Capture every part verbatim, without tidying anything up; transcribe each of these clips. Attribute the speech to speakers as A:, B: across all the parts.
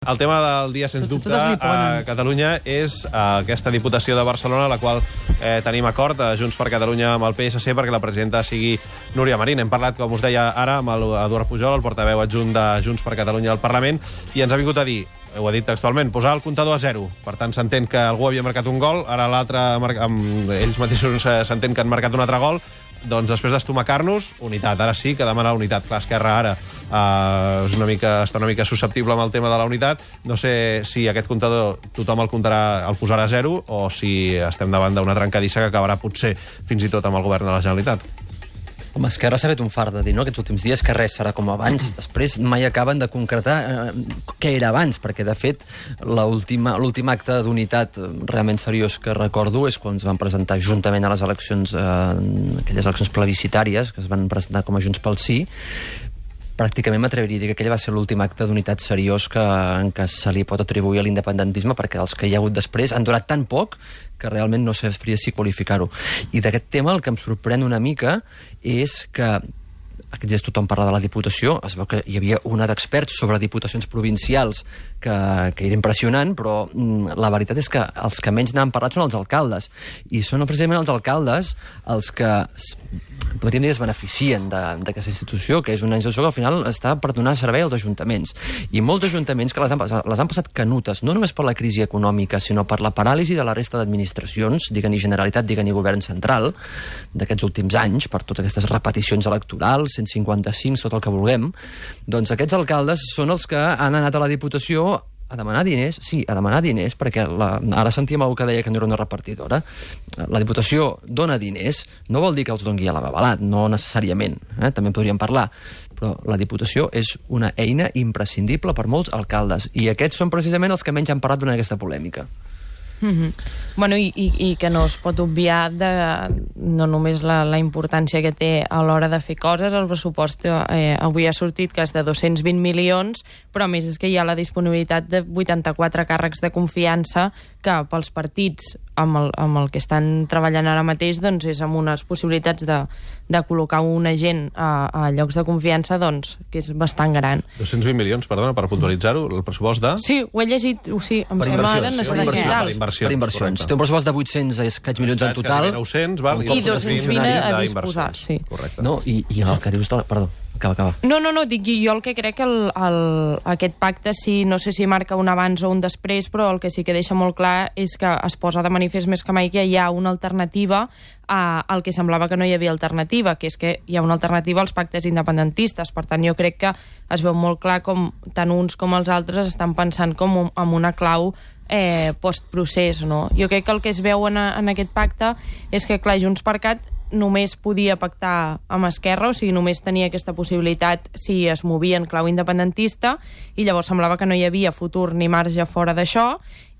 A: El tema del dia, sens dubte, a Catalunya és aquesta Diputació de Barcelona, la qual eh, tenim acord a Junts per Catalunya amb el P S C perquè la presidenta sigui Núria Marín. Hem parlat, com us deia ara, amb l'Eduard Pujol, el portaveu adjunt de Junts per Catalunya al Parlament, i ens ha vingut a dir, ho ha dit textualment, posar el comptador a zero. Per tant, s'entén que algú havia marcat un gol, ara l'altre, ells mateixos s'entén que han marcat un altre gol. Doncs després d'estomacar-nos, unitat. Ara sí que demana unitat. Clar, Esquerra ara eh, és una mica, està una mica susceptible amb el tema de la unitat. No sé si aquest comptador tothom el comptarà, el posarà a zero, o si estem davant d'una trencadissa que acabarà potser fins i tot amb el govern de la Generalitat.
B: Home, Esquerra s'ha fet un fart de dir, no?, aquests últims dies que res serà com abans. Després mai acaben de concretar eh, què era abans, perquè, de fet, l'últim acte d'unitat realment seriós que recordo és quan es van presentar juntament a les eleccions, eh, aquelles eleccions plebiscitàries, que es van presentar com a Junts pel Sí. Pràcticament m'atreviria a dir que aquell va ser l'últim acte d'unitat seriós que, en què se li pot atribuir a l'independentisme, perquè els que hi ha hagut després han durat tan poc que realment no sabria si qualificar-ho. I d'aquest tema el que em sorprèn una mica és que aquests dies tothom parla de la Diputació, es veu que hi havia una d'experts sobre diputacions provincials que, que era impressionant, però mm, la veritat és que els que menys n'han parlat són els alcaldes, i són precisament els alcaldes els que podríem dir es beneficien d'aquesta institució, que és una institució que al final està per donar servei als ajuntaments. I molts ajuntaments que les han, les han passat canutes, no només per la crisi econòmica, sinó per la paràlisi de la resta d'administracions, diguen-hi Generalitat, diguen-hi Govern Central, d'aquests últims anys, per totes aquestes repeticions electorals, cent cinquanta-cinc, tot el que vulguem. Doncs aquests alcaldes són els que han anat a la Diputació a demanar diners, sí, a demanar diners, perquè la, ara sentíem algú que deia que no era una repartidora. La Diputació dona diners, no vol dir que els doni a la babalat, no necessàriament, eh? També podríem parlar, però la Diputació és una eina imprescindible per molts alcaldes, i aquests són precisament els que menys han parlat durant aquesta polèmica.
C: Mm-hmm. Bueno, i, i, i que no es pot obviar de, no només la, la importància que té a l'hora de fer coses. El pressupost eh, avui ha sortit que és de dos-cents vint milions, però a més és que hi ha la disponibilitat de vuitanta-quatre càrrecs de confiança que pels partits amb el, amb el que estan treballant ara mateix doncs és amb unes possibilitats de, de col·locar un agent a, a llocs de confiança doncs que és bastant gran.
A: dos-cents vint milions, perdona, per puntualitzar-ho, el pressupost de...
C: Sí, ho he llegit, o sí, em
B: per
C: sembla ara
B: inversions, per inversions, per inversions. Té un pressupost de vuit-cents escaig milions en total.
A: nou-cents, val,
C: i dos-cents vint a disposar, sí.
A: Correcte.
B: No, i, i el que dius... De... Perdó. Acaba, acaba.
C: No, no, no, dic jo el que crec que el, el, aquest pacte, sí, no sé si marca un abans o un després, però el que sí que deixa molt clar és que es posa de manifest més que mai que hi ha una alternativa a, al que semblava que no hi havia alternativa, que és que hi ha una alternativa als pactes independentistes. Per tant, jo crec que es veu molt clar com tant uns com els altres estan pensant com un, amb una clau eh, postprocés, no? Jo crec que el que es veu en, en aquest pacte és que, clar, Junts per Cat només podia pactar amb Esquerra, o sigui, només tenia aquesta possibilitat si es movia en clau independentista, i llavors semblava que no hi havia futur ni marge fora d'això,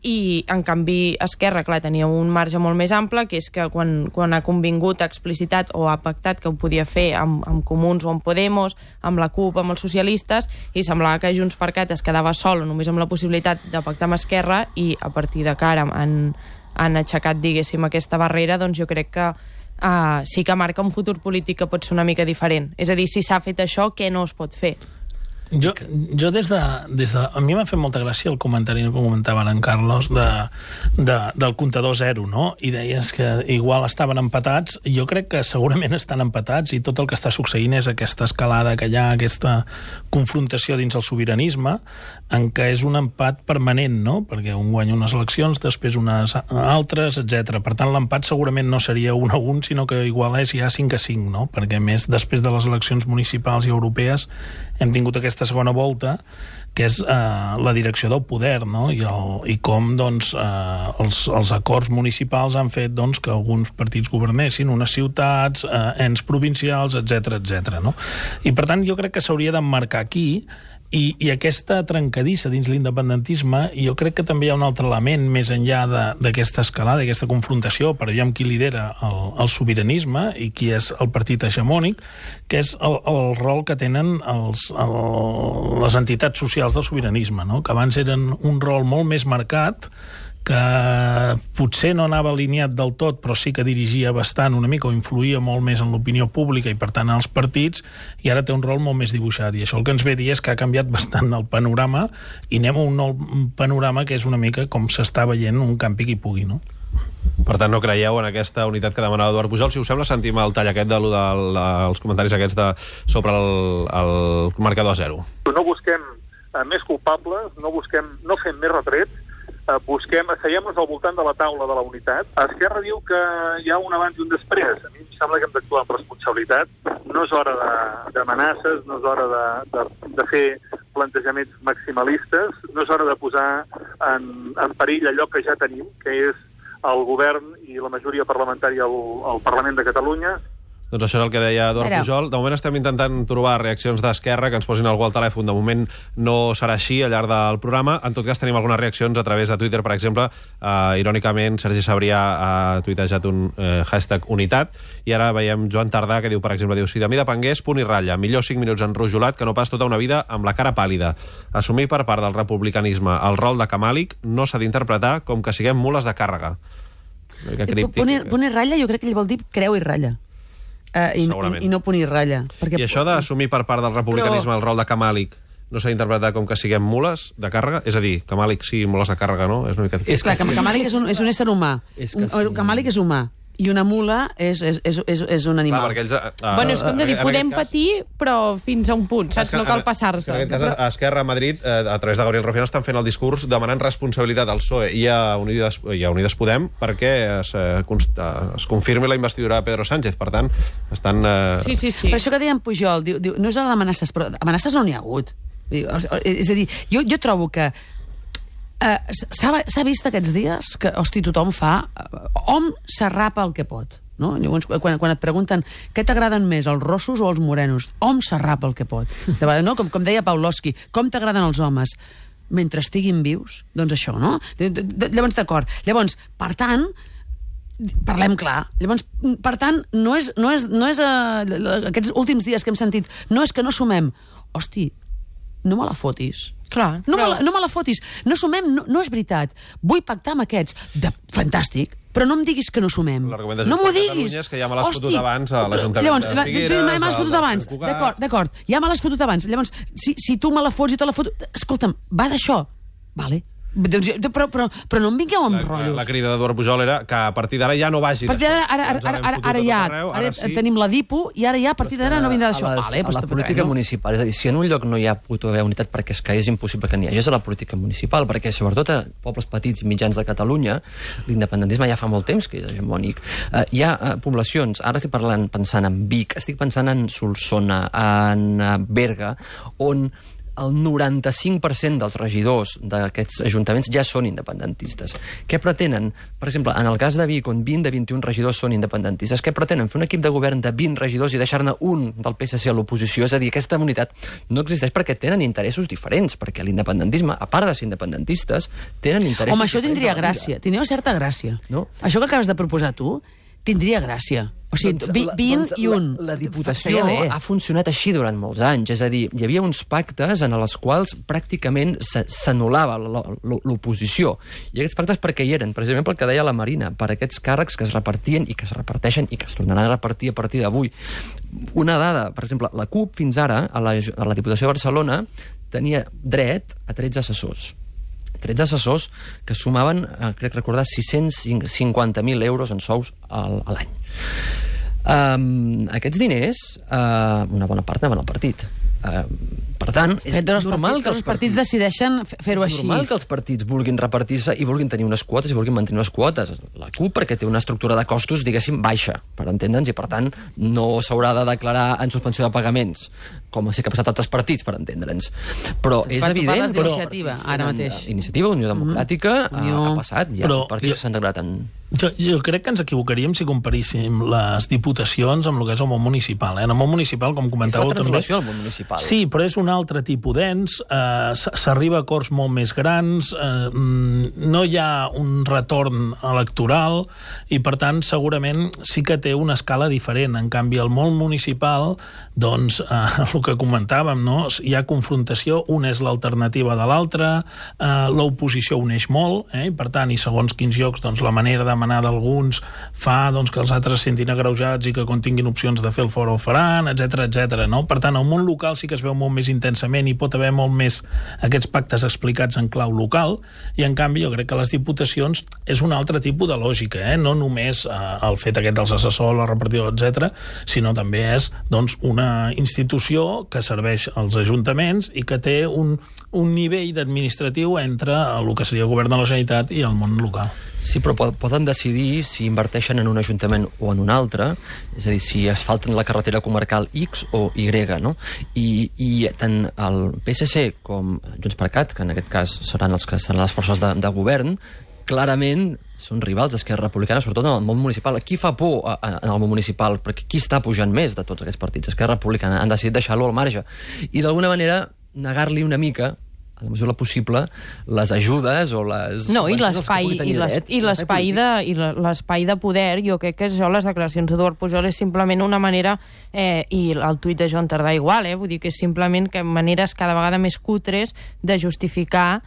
C: i en canvi Esquerra, clar, tenia un marge molt més ample, que és que quan, quan ha convingut, ha explicitat o ha pactat que ho podia fer amb, amb Comuns o amb Podemos, amb la CUP, amb els socialistes, i semblava que Junts per Cat es quedava sol només amb la possibilitat de pactar amb Esquerra, i a partir de cara han, han aixecat, diguéssim, aquesta barrera. Doncs jo crec que Uh, sí que marca un futur polític que pot ser una mica diferent. És a dir, si s'ha fet això, què no es pot fer?
D: Jo, jo des de, des de... A mi m'ha fet molta gràcia el comentari que comentava en Carlos de, de, del comptador zero, no? I deies que igual estaven empatats. Jo crec que segurament estan empatats, i tot el que està succeint és aquesta escalada que hi ha, aquesta confrontació dins el sobiranisme, en què és un empat permanent, no? Perquè un guanya unes eleccions, després unes altres, etcètera. Per tant, l'empat segurament no seria un a un, sinó que igual és ja cinc a cinc, no? Perquè, a més, després de les eleccions municipals i europees hem tingut aquesta segona volta, que és eh, la direcció del poder, no? I, el, i com doncs, eh, els, els acords municipals han fet doncs, que alguns partits governessin unes ciutats, eh, ens provincials, etcètera, etcètera, no? I per tant jo crec que s'hauria d'emmarcar aquí. I, i aquesta trencadissa dins l'independentisme, jo crec que també hi ha un altre element més enllà d'aquesta escalada, d'aquesta confrontació, per veure qui lidera el, el sobiranisme i qui és el partit hegemònic, que és el, el rol que tenen els, el, les entitats socials del sobiranisme, no? Que abans eren un rol molt més marcat, que potser no anava alineat del tot, però sí que dirigia bastant una mica, o influïa molt més en l'opinió pública i, per tant, en els partits, i ara té un rol molt més dibuixat. I això el que ens ve a dir és que ha canviat bastant el panorama, i anem a un nou panorama que és una mica com s'està veient un campi qui pugui, no?
A: Per tant, no creieu en aquesta unitat que demanava Eduard Pujol. Si us sembla, sentim el tall aquest de, de, de, els comentaris aquests de, sobre el, el marcador a zero.
E: No busquem eh, més culpables, no busquem, no fem més retrets, eh, busquem, asseiem-nos al voltant de la taula de la unitat. Esquerra diu que hi ha un abans i un després. A mi em sembla que hem d'actuar amb responsabilitat. No és hora d'amenaces, no és hora de, de, de fer plantejaments maximalistes, no és hora de posar en, en perill allò que ja tenim, que és el govern i la majoria parlamentària al, al Parlament de Catalunya.
A: Doncs això és el que deia Eduard
F: Però...
A: Pujol. De moment estem intentant trobar reaccions d'Esquerra que ens posin algú al telèfon. De moment no serà així al llarg del programa. En tot cas, tenim algunes reaccions a través de Twitter. Per exemple, eh, irònicament, Sergi Sabrià ha tuitejat un eh, hashtag unitat, i ara veiem Joan Tardà, que diu, per exemple, diu, si de mi depengués, punt i ratlla. Millor cinc minuts enrojolat que no pas tota una vida amb la cara pàl·lida. Assumir per part del republicanisme el rol de camàlic no s'ha d'interpretar com que siguem mules de càrrega.
F: Punt i, punt i ratlla, jo crec que ell vol dir creu i ratlla. Uh, i, i, i no punt i ratlla. Perquè...
A: I això d'assumir per part del republicanisme Però... el rol de camàlic no s'ha d'interpretar com que siguem mules de càrrega? És a dir, camàlic sí, mules de càrrega, no? És una mica...
F: És clar, sí. Camàlic és un, és un ésser humà. És que sí. Camàlic és humà. I una mula és, és, és, és, és un animal.
A: Clar, ells, uh,
C: bueno, és com de dir, podem cas... patir, però fins a un punt, saps? No cal passar-se.
A: En aquest cas, a Esquerra a Madrid, eh, a través de Gabriel Rufián, estan fent el discurs demanant responsabilitat al P S O E i a Unides, i a Unides Podem perquè es, es confirmi la investidura de Pedro Sánchez. Per tant, estan... Eh...
C: Sí, sí, sí.
F: Per això que deien Pujol, diu, diu, no és d'amenaces, però amenaces no n'hi ha hagut. És a dir, jo, jo trobo que Uh, s'ha vist aquests dies que, hosti, tothom fa... Uh, hom s'arrapa el que pot, no? Llavors, quan, quan et pregunten què t'agraden més, els rossos o els morenos, hom s'arrapa el que pot. De vegades, no? Com, com deia Pawlowski, com t'agraden els homes? Mentre estiguin vius, doncs això, no? De, de, de, llavors, d'acord. Llavors, per tant, parlem clar. Llavors, per tant, no és... No és, no és uh, aquests últims dies que hem sentit, no és que no sumem. Hosti, no me la fotis.
C: Clar,
F: no,
C: però...
F: me la, no me la fotis. No sumem, no, no és veritat. Vull pactar amb aquests. De, fantàstic, però no em diguis que no sumem. No m'ho diguis.
A: És que ja me l'has fotut abans a l'Ajuntament
F: Llavors,
A: de Figueres...
F: Tu me l'has fotut abans. D'acord, d'acord. Ja me l'has fotut abans. Llavors, si, si tu me la fots i te la foto... Escolta'm, va d'això. Vale. Doncs, però, però, però no em vingueu amb
A: la,
F: rotllos.
A: La, la crida d'Eduard Pujol era que a partir d'ara ja no vagi
F: d'això. Ara, ara, ara, ara, ara ja arreu, ara sí. Tenim la DIPO i ara ja a partir d'ara no vindrà d'això.
B: A, les, vale, a la política no? municipal, és a dir, si en un lloc no hi ha pot haver unitat perquè és que és impossible que n'hi hagi, és a la política municipal, perquè sobretot a pobles petits i mitjans de Catalunya l'independentisme ja fa molt temps que és hegemònic. Uh, hi ha uh, poblacions, ara estic parlant, pensant en Vic, estic pensant en Solsona, en uh, Berga, on el noranta-cinc per cent dels regidors d'aquests ajuntaments ja són independentistes. Què pretenen? Per exemple, en el cas de Vic, on vint de vint-i-un regidors són independentistes, què pretenen? Fer un equip de govern de vint regidors i deixar-ne un del P S C a l'oposició? És a dir, aquesta unitat no existeix perquè tenen interessos diferents, perquè l'independentisme, a part de ser independentistes, tenen interessos
F: Home, això
B: diferents.
F: Tindria gràcia, tindria una certa gràcia.
B: No?
F: Això que acabes de proposar tu, tindria gràcia. O sigui, doncs, vint doncs, i un.
B: La, la Diputació ha funcionat així durant molts anys. És a dir, hi havia uns pactes en els quals pràcticament s'anul·lava l'oposició. I aquests pactes per què hi eren? Precisament pel que deia la Marina, per aquests càrrecs que es repartien i que es reparteixen i que es tornaran a repartir a partir d'avui. Una dada, per exemple, la CUP fins ara, a la, a la Diputació de Barcelona, tenia dret a tretze assessors. tretze assessors que sumaven, eh, crec recordar, sis-cents cinquanta mil euros en sous al, a l'any. Um, aquests diners, uh, una bona part anaven al partit. Uh, per tant, és
F: Fet,
B: normal
F: partits,
B: que els
F: partits, partits decideixen fer-ho així.
B: És normal que els partits vulguin repartir-se i vulguin tenir unes quotes i vulguin mantenir unes quotes. La CUP perquè té una estructura de costos, diguéssim, baixa, per entendre'ns, i per tant no s'haurà de declarar en suspensió de pagaments, com sí que ha passat a altres partits, per entendre'ns. Però és
F: per
B: evident...
F: Però iniciativa, ara mateix.
B: Iniciativa, Unió Democràtica, mm-hmm. Unió... ha passat, ja
D: però,
B: partits jo... s'han declarat en...
D: Jo, jo crec que ens equivocaríem si comparíssim les diputacions amb el que és el món municipal. Eh? En el món municipal, com comentàveu...
B: És la transformació del món municipal.
D: Sí, però és una un altre tipus d'ens, eh, s'arriba a acords molt més grans, eh, no hi ha un retorn electoral i, per tant, segurament sí que té una escala diferent. En canvi, al món municipal, doncs, eh, el que comentàvem, no? Hi ha confrontació, una és l'alternativa de l'altra, eh, l'oposició uneix molt, eh? I, per tant, i segons quins llocs, doncs, la manera de manar d'alguns fa doncs, que els altres se sentin agreujats i que quan tinguin opcions de fer el fora ho faran, etcètera, etcètera, no? Per tant, el món local sí que es veu molt més intensament i pot haver molt més aquests pactes explicats en clau local, i en canvi jo crec que les diputacions és un altre tipus de lògica, eh? No només eh, el fet aquest dels assessors, la repartidor, etcètera, sinó també és doncs, una institució que serveix als ajuntaments i que té un, un nivell administratiu entre el que seria el govern de la Generalitat i el món local.
B: Sí, però poden decidir si inverteixen en un ajuntament o en un altre, és a dir, si asfalten la carretera comarcal X o Y, no? I, i tant el P S C com Junts per Cat, que en aquest cas seran els que seran les forces de, de govern, clarament són rivals d'Esquerra Republicana, sobretot en el món municipal. Qui fa por a, a, en el món municipal? Perquè qui està pujant més de tots aquests partits? Esquerra Republicana. Han decidit deixar-lo al marge. I d'alguna manera negar-li una mica, a la mesura possible, les ajudes o les...
C: No, i l'espai i l'espai de, i l'espai de poder, jo crec que això, les declaracions d'Eduard Pujol és simplement una manera, eh, i el tuit de Joan Tardà igual, eh, vull dir que és simplement que maneres cada vegada més cutres de justificar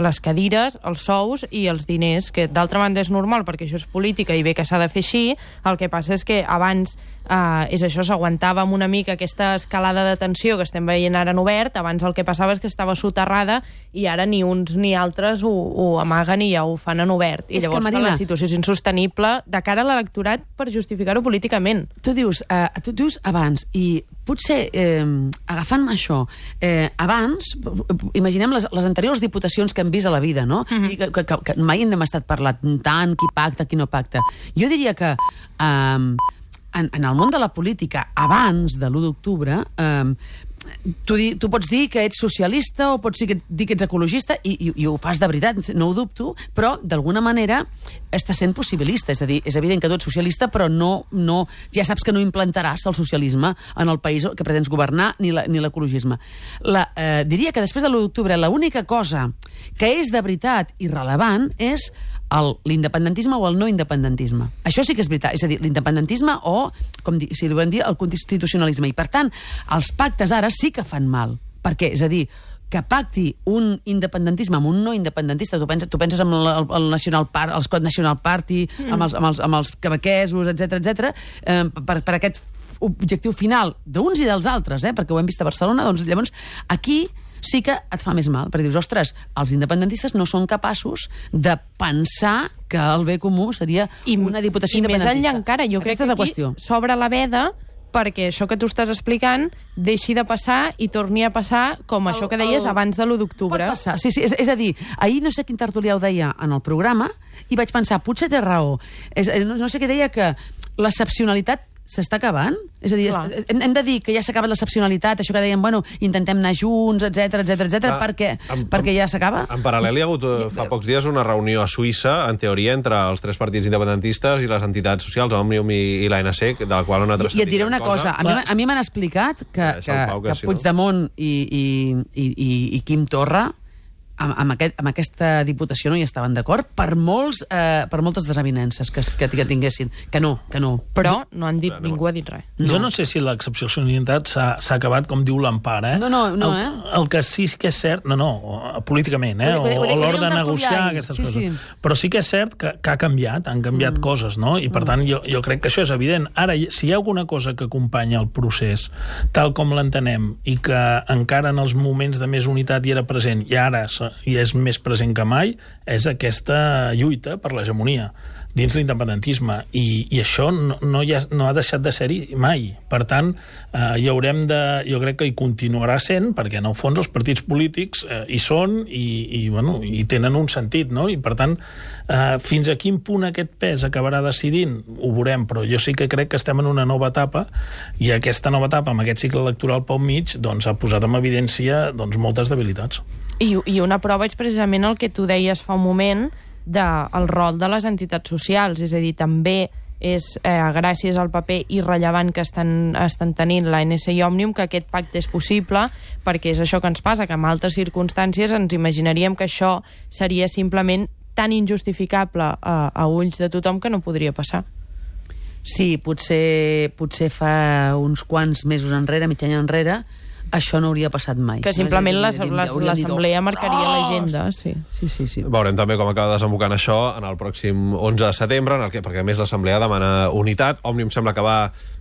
C: les cadires, els sous i els diners, que d'altra banda és normal perquè això és política i bé que s'ha de fer així. El que passa és que abans eh, és això, s'aguantava amb una mica aquesta escalada de tensió que estem veient ara en obert. Abans el que passava és que estava soterrada i ara ni uns ni altres ho, ho amaguen i ja ho fan en obert. I és llavors que, Marina, la situació és insostenible de cara a l'electorat per justificar-ho políticament.
F: Tu dius, eh, tu dius abans, i potser eh, agafant això, eh, abans, imaginem les, les anteriors diputacions que hem vist a la vida, no? Mm-hmm. I que, que, que mai n'hem estat parlant tant, qui pacta, qui no pacta. Jo diria que eh, en, en el món de la política, abans de l'u d'octubre, eh, Tu, di, tu pots dir que ets socialista o pots dir que ets ecologista i, i, i ho fas de veritat, no ho dubto, però d'alguna manera estàs sent possibilista, és a dir, és evident que tu ets socialista però no, no, ja saps que no implantaràs el socialisme en el país que pretens governar ni l'ecologisme. Eh, diria que després de l'u d'octubre l'única cosa que és de veritat i rellevant és l'independentisme o el no independentisme. Això sí que és veritat, és a dir, l'independentisme o, com di, si li volem dir, el constitucionalisme. I, per tant, els pactes ara sí que fan mal. Per què? És a dir, que pacti un independentisme amb un no independentista, tu penses, tu penses en el, el National Party, el Scott National Party, mm. amb, els, amb, els, amb els quebequesos, etcètera, etcètera, eh, per, per aquest objectiu final d'uns i dels altres, eh, perquè ho hem vist a Barcelona, doncs llavors aquí sí que et fa més mal, perquè dius, ostres, els independentistes no són capaços de pensar que el bé comú seria
C: I,
F: una diputació
C: i
F: independentista.
C: I més enllà encara, jo
F: Aquesta
C: crec que aquí s'obre la veda perquè això que tu estàs explicant deixi de passar i torni a passar com el, això que deies el... abans de l'u d'octubre.
F: Pot passar, sí, sí, és, és a dir, ahir no sé quin tertulià ho deia en el programa i vaig pensar, potser té raó. És, no, no sé què deia, que l'excepcionalitat s'està acabant? És a dir, es, hem, hem de dir que ja s'ha acabat l'excepcionalitat, això que dèiem, bueno, intentem anar junts, etcètera, etcètera, etcètera, perquè, en, perquè ja s'acaba?
A: En paral·lel hi ha hagut fa pocs dies una reunió a Suïssa, en teoria, entre els tres partits independentistes i les entitats socials, Òmnium i, i l'A N C, de la qual una altra
F: I, I et diré una cosa, cosa. a mi, a mi m'han explicat que, que, Pau, que, que si Puigdemont no. i, i, i, i, i Quim Torra amb, amb, aquest, amb aquesta diputació no hi estaven d'acord per, molts, eh, per moltes desavinences que, que, que tinguessin. Que no, que no.
C: Però no han dit, ningú ha dit res.
D: No. Jo no sé si l'excepcionalitat s'ha acabat com diu l'Empar, eh?
F: No, no, no,
D: el,
F: eh?
D: El que sí que és cert, no, no, políticament, eh? O, o l'hora de negociar aquestes sí, coses. Sí. Però sí que és cert que, que ha canviat, han canviat mm. coses, no? I per mm. tant jo, jo crec que això és evident. Ara, si hi ha alguna cosa que acompanya el procés tal com l'entenem i que encara en els moments de més unitat hi era present i ara i és més present que mai, és aquesta lluita per l'hegemonia dins l'independentisme, i, i això no, no, ha, no ha deixat de ser-hi mai. Per tant, eh, hi haurem de, jo crec que hi continuarà sent, perquè en el fons els partits polítics eh, hi són i, i, bueno, i tenen un sentit, no? I per tant, eh, fins a quin punt aquest pes acabarà decidint, ho veurem, però jo sí que crec que estem en una nova etapa, i aquesta nova etapa, amb aquest cicle electoral pel mig, doncs, ha posat en evidència doncs, moltes debilitats.
C: I, I una prova és precisament el que tu deies fa un moment del rol de les entitats socials, és a dir, també és eh, gràcies al paper irrellevant que estan, estan tenint la N S i Òmnium que aquest pacte és possible, perquè és això que ens passa, que en altres circumstàncies ens imaginaríem que això seria simplement tan injustificable a, a ulls de tothom que no podria passar.
F: Sí, potser, potser fa uns quants mesos enrere, mig any enrere, això no hauria passat mai.
C: Que simplement l'assemblea marcaria l'agenda. Sí.
F: Sí, sí, sí.
A: Veurem també com acaba desembocant això en el pròxim onze de setembre, en el que, perquè a més l'assemblea demana unitat. Òmnium sembla que va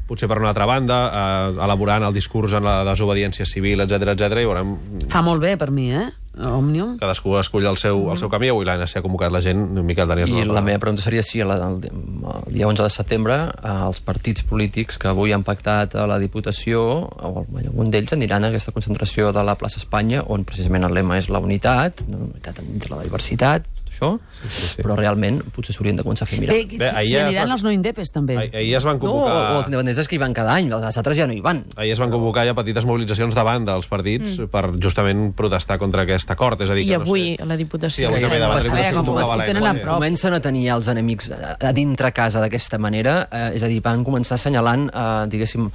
A: potser per una altra banda, eh, elaborant el discurs en la desobediència civil, etcètera, etcètera, i veurem...
F: Fa molt bé per mi, eh? Òmnium.
A: Cadascú escull el seu, el seu camí. Avui l'A N C ha convocat la gent. Miquel Daniels.
B: I
A: no
B: la meva pregunta seria si el, el, el dia onze de setembre eh, els partits polítics que avui han pactat a la Diputació, o algun d'ells aniran a aquesta concentració de la plaça Espanya, on precisament el lema és la unitat, la unitat entre la diversitat, això,
A: sí, sí, sí.
B: però realment potser s'haurien de començar a fer mirar.
F: Bé, Bé si, si aniran van... els no indepes, també.
A: Ah, ahir es van convocar...
B: No, o els independentistes que hi van cada any, els altres ja no hi van.
A: Ahir es van convocar ja petites mobilitzacions davant dels partits mm. per justament protestar contra aquest acord. És a dir,
C: I
A: que,
C: avui
A: no sé...
C: a la Diputació.
A: Sí, avui també davant la Diputació.
B: Comencen a tenir els enemics a dintre casa d'aquesta manera, eh, és a dir, van començar assenyalant, eh, diguéssim,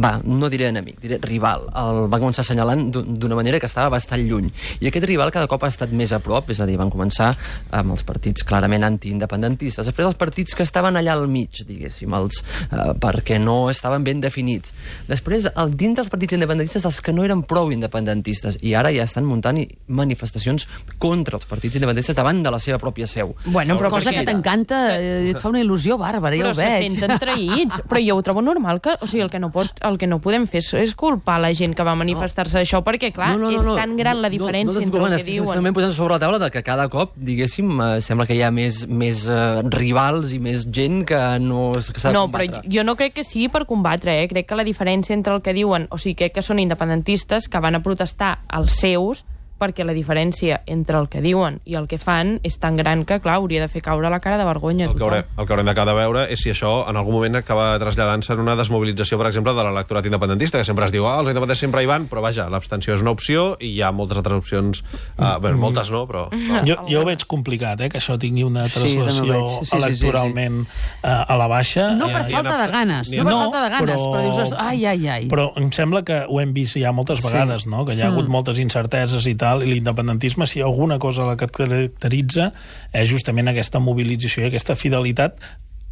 B: va, no diré enemic, diré rival. El van començar assenyalant d'una manera que estava bastant lluny. I aquest rival cada cop ha estat més a prop, és a dir, van començar amb els partits clarament antiindependentistes. Després els partits que estaven allà al mig, diguéssim, els, eh, perquè no estaven ben definits. Després, el, dintre dels partits independentistes, els que no eren prou independentistes, i ara ja estan muntant manifestacions contra els partits independentistes davant de la seva pròpia seu.
F: Bueno, però cosa que t'encanta, eh, et fa una il·lusió bàrbara, ja ho veig.
C: Però se senten traïts. Però jo ho trobo normal, que, o sigui, el que no, pot, el que no podem fer és, és culpar la gent que va manifestar-se d'això, perquè, clar, no, no, no, no, és tan gran la diferència no, no, no, entre el que diuen.
B: Estem posant sobre la taula de que cada cop, diguéssim, eh, sembla que hi ha més, més uh, rivals i més gent que no que s'ha de
C: no,
B: combatre.
C: Però jo no crec que sigui per combatre, eh? Crec que la diferència entre el que diuen, o sigui, crec que són independentistes que van a protestar als seus, perquè la diferència entre el que diuen i el que fan és tan gran que, clar, hauria de fer caure la cara de vergonya.
A: El que, haurem, el que haurem d'acabar de veure és si això en algun moment acaba traslladant-se en una desmobilització, per exemple, de l'electorat independentista, que sempre es diu, ah, els independentistes sempre hi van, però vaja, l'abstenció és una opció i hi ha moltes altres opcions, uh, bé, moltes no, però... No.
D: Jo, jo ho veig complicat, eh, que això tingui una translació sí, sí, sí, electoralment sí, sí, sí. Uh, a la baixa.
F: No per
D: eh,
F: falta de ganes, no per no, falta de ganes, però, però dius, ai, ai, ai.
D: Però em sembla que ho hem vist ja moltes vegades, sí. no? Que hi ha hagut mm. moltes incerteses i tal, i l'independentisme, si alguna cosa la que et caracteritza és justament aquesta mobilització i aquesta fidelitat.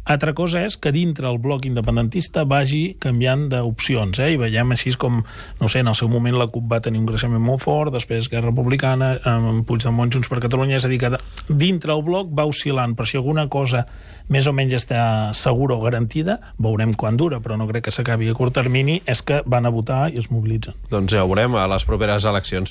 D: Altra cosa és que dintre el bloc independentista vagi canviant d'opcions, eh? I veiem així com, no sé, en el seu moment la CUP va tenir un creixement molt fort, després Esquerra Republicana, amb Puigdemont, Junts per Catalunya, és a dir, que dintre el bloc va oscil·lant, però si alguna cosa més o menys està segura o garantida, veurem quan dura, però no crec que s'acabi a curt termini, és que van a votar i es mobilitzen.
A: Doncs ja ho veurem a les properes eleccions.